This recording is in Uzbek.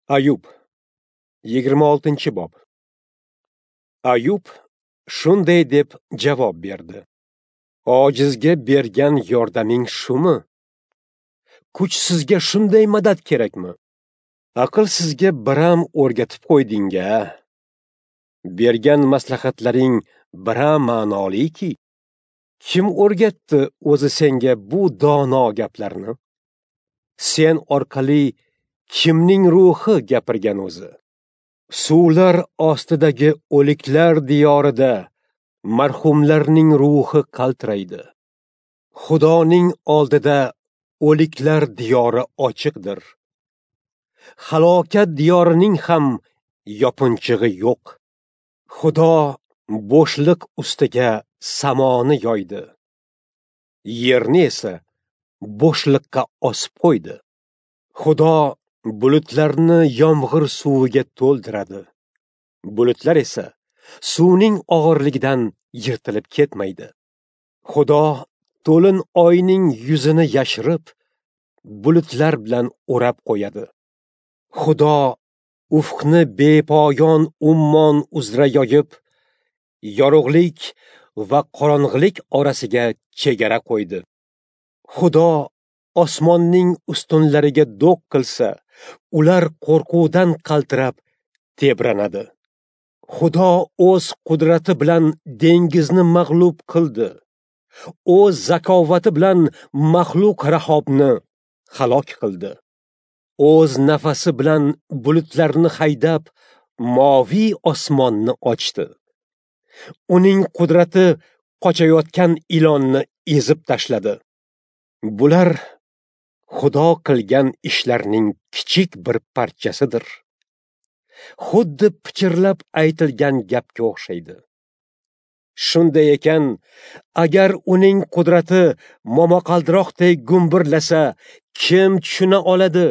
Ayub 26-bob. Ayub shunday deb javob berdi: Ojizga bergan yordaming shumi? Kuchsizga shunday madad kerakmi? Aqlsizga biram o'rgatib qo'yding-a. Bergan maslahatlaring biram ma'noliki. Kim o'rgatdi o'zi senga bu dono gaplarni? Sen orqali kimning ruhi gapirgan o'zi? Suvlar ostidagi o'liklar diyorida marhumlarning ruhi qaltiraydi. Xudoning oldida o'liklar diyori ochiqdir. Halokat diyorining ham yopinchig'i yo'q. Xudo bo'shliq ustiga samoni yoydi. Yerni esa bo'shliqqa osib qo'ydi. Xudo bulutlarni yomg'ir suviga to'ldiradi. Bulutlar esa suvning og'irligidan yirtilib ketmaydi. Xudo to'lin oyning yuzini yashirib, bulutlar bilan o'rab qo'yadi. Xudo ufqni bepoyon ummon uzra yoyib, yorug'lik va qorong'ilik orasiga chegara qo'ydi. Xudo osmonning ustunlariga do'q qilsa, ular qo'rquvdan qaltirab tebranadi. Xudo o'z qudrati bilan dengizni mag'lub qildi. O'z zakovati bilan maxluq Rahobni halok qildi. O'z nafasi bilan bulutlarni haydab, moviy osmonni ochdi. Uning qudrati qochayotgan ilonni ezib tashladi. Bular Xudo qilgan ishlarning kichik bir parchasidir. Xuddi pichirlab aytilgan gapga o'xshaydi. Shunday ekan, agar uning qudrati momaqaldiroqdek gumburlasa, kim tushuna oladi?